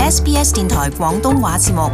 SBS 電台廣東話節目。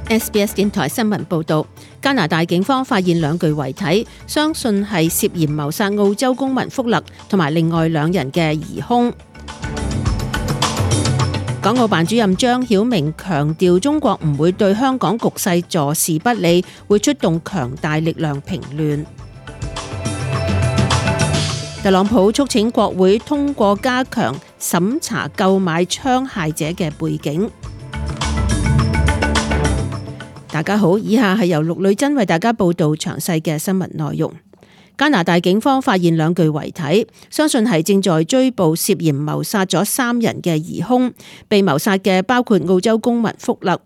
SBS 電台新聞報導，加拿大警方發現兩具遺體，相信係涉嫌謀殺澳洲公民福勒同埋另外兩人嘅疑兇。港澳辦主任張曉明強調，中國唔會對香港局勢坐視不理，會出動強大力量平亂。特朗普促請國會通過加強審查購買槍械者嘅背景。大家好，以下係由陸女真為大家報道詳細嘅新聞內容。加拿大警方發現兩具遺體，相信係正在追捕涉嫌謀殺咗3人嘅疑兇。被謀殺嘅包括澳洲公民福勒。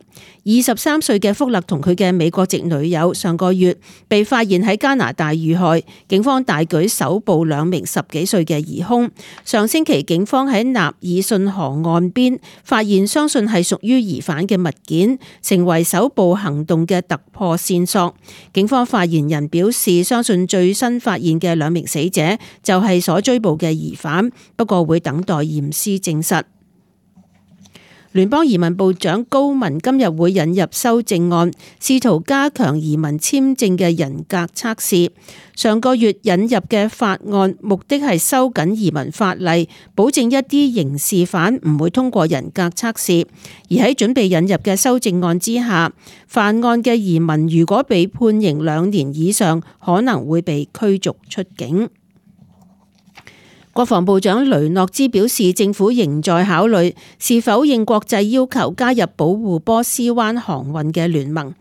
23歲嘅福勒同佢嘅美國籍女友上個月被發現喺加拿大遇害，警方大舉搜捕2名10幾歲嘅疑兇。上星期警方喺納爾遜河岸邊發現相信係屬於疑犯嘅物件，成為搜捕行動嘅突破線索。警方發言人表示，相信最新發現嘅2名死者就係所追捕嘅疑犯，不過會等待驗屍證實。聯邦移民部長高文今日會引入修正案，試圖加強移民簽證嘅人格測試。上個月引入嘅法案目的係收緊移民法例，保證一啲刑事犯唔會通過人格測試。而喺準備引入嘅修正案之下，犯案嘅移民如果被判刑2年以上，可能會被驅逐出境。國防部長雷諾茲表示，政府仍在考慮是否應國際要求加入保護波斯灣航運嘅聯盟。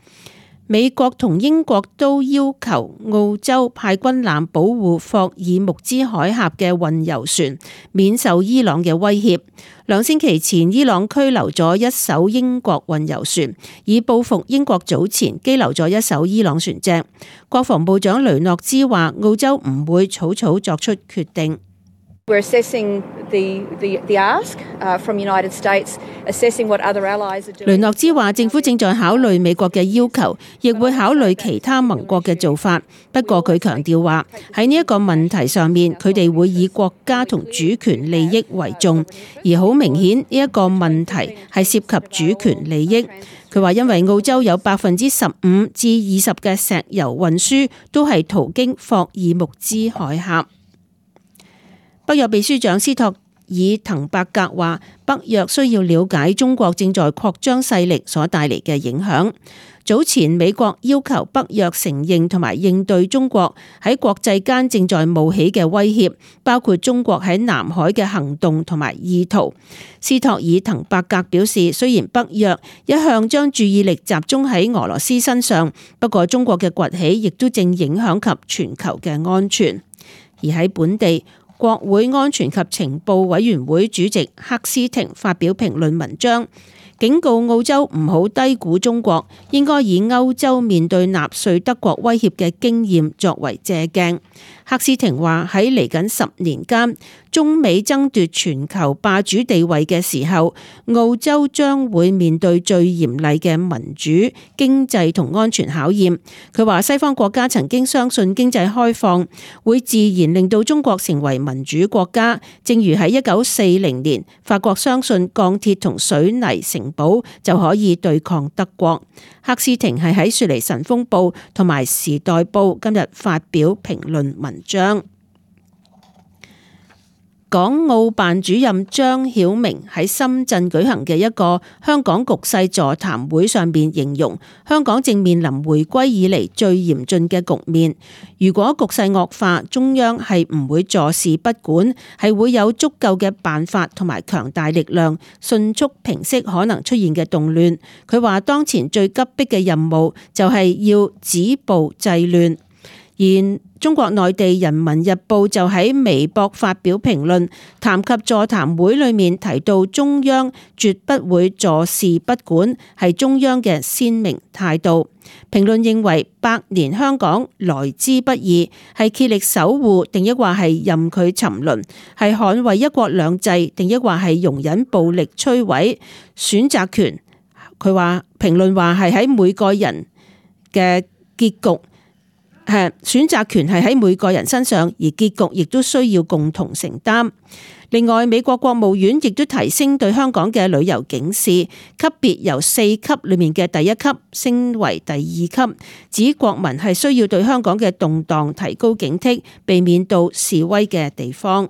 美國同英國都要求澳洲派軍艦保護霍爾木茲海峽嘅運油船免受伊朗嘅威脅。2星期前，伊朗拘留咗一艘英國運油船，以報復英國早前羈留咗一艘伊朗船隻。國防部長雷諾茲話，澳洲唔會草草作出決定。We're assessing the ask from United States, assessing what other allies are doing. 雷諾茲話，政府正在考慮美國嘅要求，亦會考慮其他盟國嘅做法。不過佢強調話，喺呢一個問題上面，佢哋會以國家同主權利益為重，而好明顯呢一個問題係涉及主權利益。佢話因為澳洲有15%至20%嘅石油運輸都係途經霍爾木茲海峽。北約秘書長斯托爾滕伯格話，北約需要了解中國正在擴張勢力所帶嚟嘅影響。早前美國要求北約承認同埋應對中國喺國際間正在冒起嘅威脅，包括中國喺南海嘅行動同埋意圖。斯托爾滕伯格表示，雖然北約一向將注意力集中喺俄羅斯身上，不過中國嘅崛起亦都正影響及全球嘅安全。而喺本地，國會安全及情報委員會主席克斯廷發表評論文章，警告澳洲唔好低估中國，應該以歐洲面對納粹德國威脅嘅經驗作為借鏡。克斯廷話，喺嚟緊10年間，中美爭奪全球霸主地位嘅時候，澳洲將會面對最嚴厲嘅民主、經濟同安全考驗。佢話西方國家曾經相信經濟開放會自然令到中國成為民主國家，正如喺1940年，法國相信鋼鐵同水泥城堡就可以對抗德國。克斯廷係喺雪梨晨鋒報同埋時代報今日發表評論文章。港澳辦主任張曉明喺深圳舉行嘅一個香港局勢座談會上面形容，香港正面臨回歸以嚟最嚴峻嘅局面。如果局勢惡化，中央係唔會坐視不管，係會有足夠嘅辦法同埋強大力量，迅速平息可能出現嘅動亂。佢話當前最急迫嘅任務就係要止暴制亂。而中國內地人民日報就喺微博發表評論，談及座談會裏面提到中央絕不會坐視不管，係中央嘅鮮明態度。評論認為百年香港來之不易，係竭力守護定抑或係任佢沉淪，係捍衛一國兩制定抑或係容忍暴力摧毀，選擇權佢話評論話係喺每個人嘅結局，選擇權係喺每個人身上，而結局亦都需要共同承擔。另外，美國國務院亦都提升對香港嘅旅遊警示級別，由4級裏面嘅第1級升為第2級，指國民係需要對香港嘅動盪提高警惕，避免到示威嘅地方。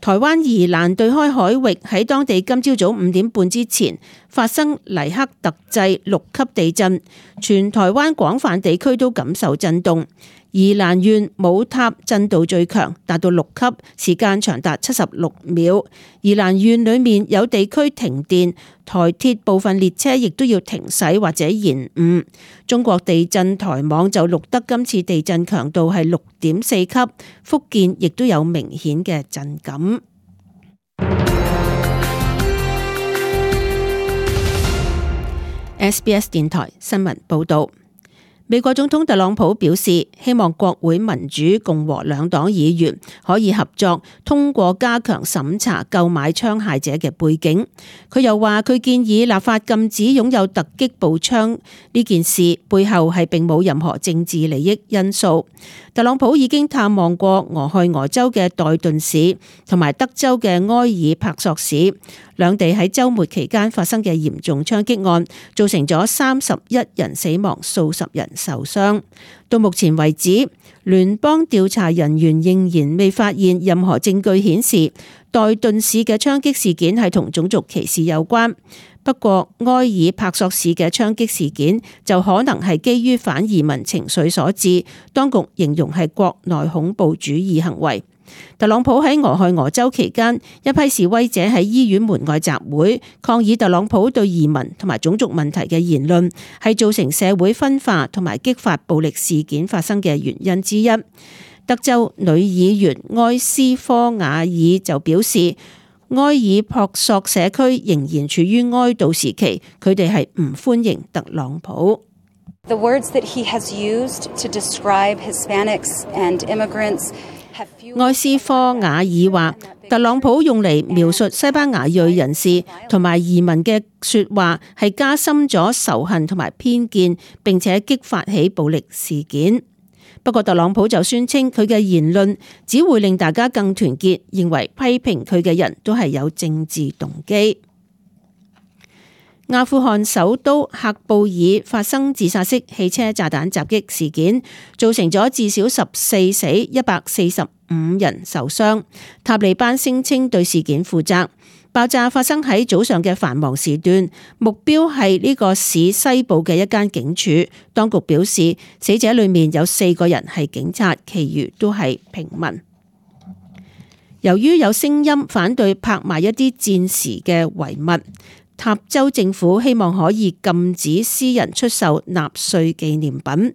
台灣宜蘭對開海域喺當地今朝早5點半之前發生黎克特制6級地震，全台灣廣泛地區都感受震動。宜蘭縣母塔震度最強，達到6級，時間長達76秒。宜蘭縣裏面有地區停電，台鐵部分列車亦都要停駛或者延誤。中國地震台網就錄得今次地震強度係6.4級，福建亦都有明顯嘅震感。SBS 電台新聞報道。美國總統特朗普表示，希望國會民主共和兩黨議員可以合作通過加強審查購買槍械者嘅背景。佢又話，佢建議立法禁止擁有突擊步槍呢件事背後係並冇任何政治利益因素。特朗普已經探望過俄亥俄州嘅代頓市同埋德州嘅埃爾柏索市，兩地喺週末期間發生嘅嚴重槍擊案，造成咗31人死亡，數十人受傷。到目前為止，聯邦調查人員仍然未發現任何證據顯示代頓市嘅槍擊事件係同種族歧視有關。不過，埃爾柏索市嘅槍擊事件就可能係基於反移民情緒所致，當局形容係國內恐怖主義行為。特朗普喺俄亥俄州期間，一批示威者喺醫院門外集會，抗議特朗普對移民同埋種族問題嘅言論係造成社會分化同埋激發暴力事件發生嘅原因之一。德州女議員埃斯科瓦爾就表示，埃爾柏索社區仍然處於哀悼時期，佢哋係唔歡迎特朗普。The words that he has used to describe Hispanics and immigrants。埃斯科瓦爾話，特朗普用嚟描述西班牙裔人士同埋移民嘅說話係加深咗仇恨同埋偏見，並且激發起暴力事件。不過特朗普就宣稱佢嘅言論只會令大家更團結，認為批評佢嘅人都係有政治動機。阿富汗首都喀布爾發生自殺式汽車炸彈襲擊事件，造成咗至少14死145人受傷。塔利班聲稱對事件負責。爆炸發生喺早上嘅繁忙時段，目標係呢個市西部嘅一間警署。當局表示，死者裏面有4個人係警察，其餘都係平民。由於有聲音反對拍賣一啲戰時嘅遺物，塔州政府希望可以禁止私人出售納粹紀念品。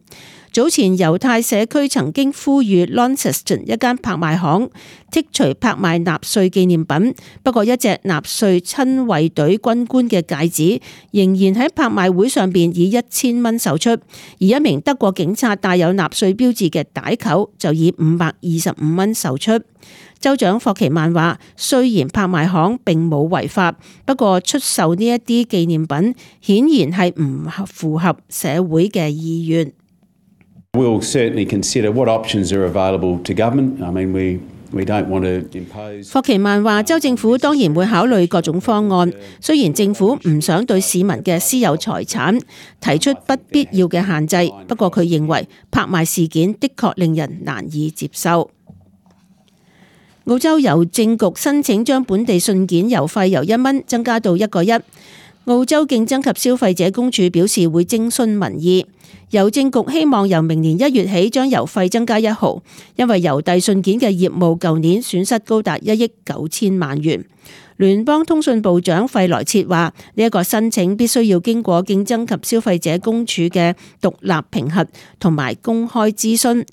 早前猶太社區曾經呼籲 Launceston 一間拍賣行剔除拍賣納粹紀念品，不過一隻納粹親衛隊軍官嘅戒指仍然喺拍賣會上邊以1000蚊售出，而一名德國警察帶有納粹標誌嘅帶扣就以525蚊售出。州長霍奇曼話，雖然拍賣行並冇違法，不過出售呢一啲紀念品顯然係唔符合社會嘅意願。We'll certainly consider what options are available to government. I mean, we don't want to impose. 霍奇曼話，州政府當然會考慮各種方案，雖然政府唔想對市民嘅私有財產提出不必要嘅限制，不過佢認為拍賣事件的確令人難以接受。澳洲郵政局申請將本地信件郵費由1蚊增加到1個1。澳洲競爭及消費者公署表示會徵詢民意。郵政局希望由明年1月起將郵費增加1毫，因為郵遞信件嘅業務舊年損失高達1億9千萬元。聯邦通訊部長費萊切話，呢一個申請必須要經過競爭及消費者公署嘅獨立評核同埋公開諮詢。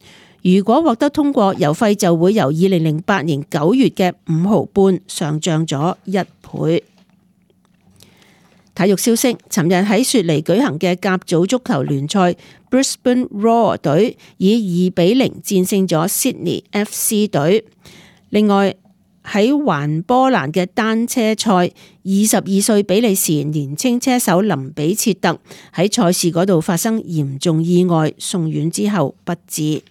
如果獲得通過，郵費就會由2008年9月嘅5毫半上漲咗1倍。體育消息，尋日喺雪梨舉行嘅甲組足球聯賽 ，Brisbane Roar 隊以2-0戰勝咗 Sydney FC 隊。另外，喺環波蘭嘅單車賽，22歲比利時年青車手林比切特喺賽事嗰度發生嚴重意外，送院之後不治。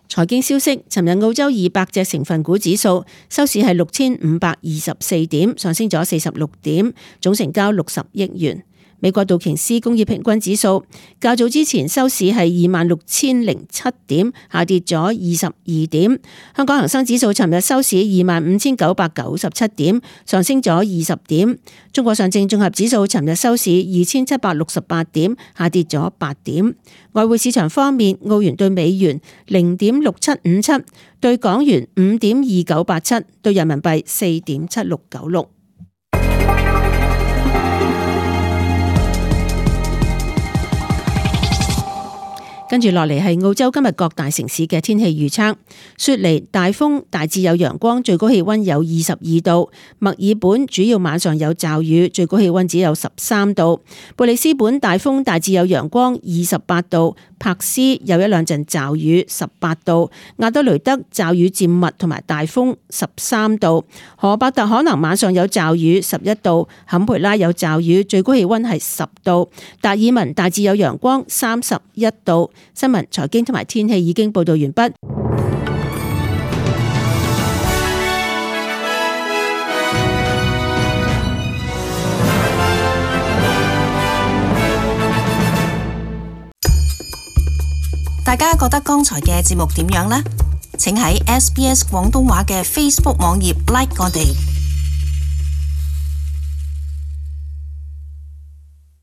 財經消息，尋日澳洲200隻成分股指數收市係6524點，上升咗46點，總成交60億元。美國道瓊斯工業平均指數較早之前收市係26,007點，下跌咗22點。香港恒生指數尋日收市25,997點，上升咗20點。中國上證綜合指數尋日收市2,768點，下跌咗8點。外匯市場方面，澳元對美元0.6757，對港元5.2987，對人民幣4.7696。跟住落嚟係澳洲今日各大城市嘅天氣預測。雪梨大風，大致有陽光，最高氣溫有22度。墨爾本主要晚上有驟雨，最高氣溫只有13度。貝里斯本大風，大致有陽光，28度。柏斯有一兩陣驟雨，18度。亞德雷德驟雨漸密同埋大風，13度。荷伯特可能晚上有驟雨，11度。坎培拉有驟雨，最高氣溫係10度。達爾文大致有陽光，31度。新聞、財經同埋天氣已經報道完畢。大家覺得剛才嘅節目點樣呢？請喺SBS 廣東話嘅 Facebook 網頁 like 我哋。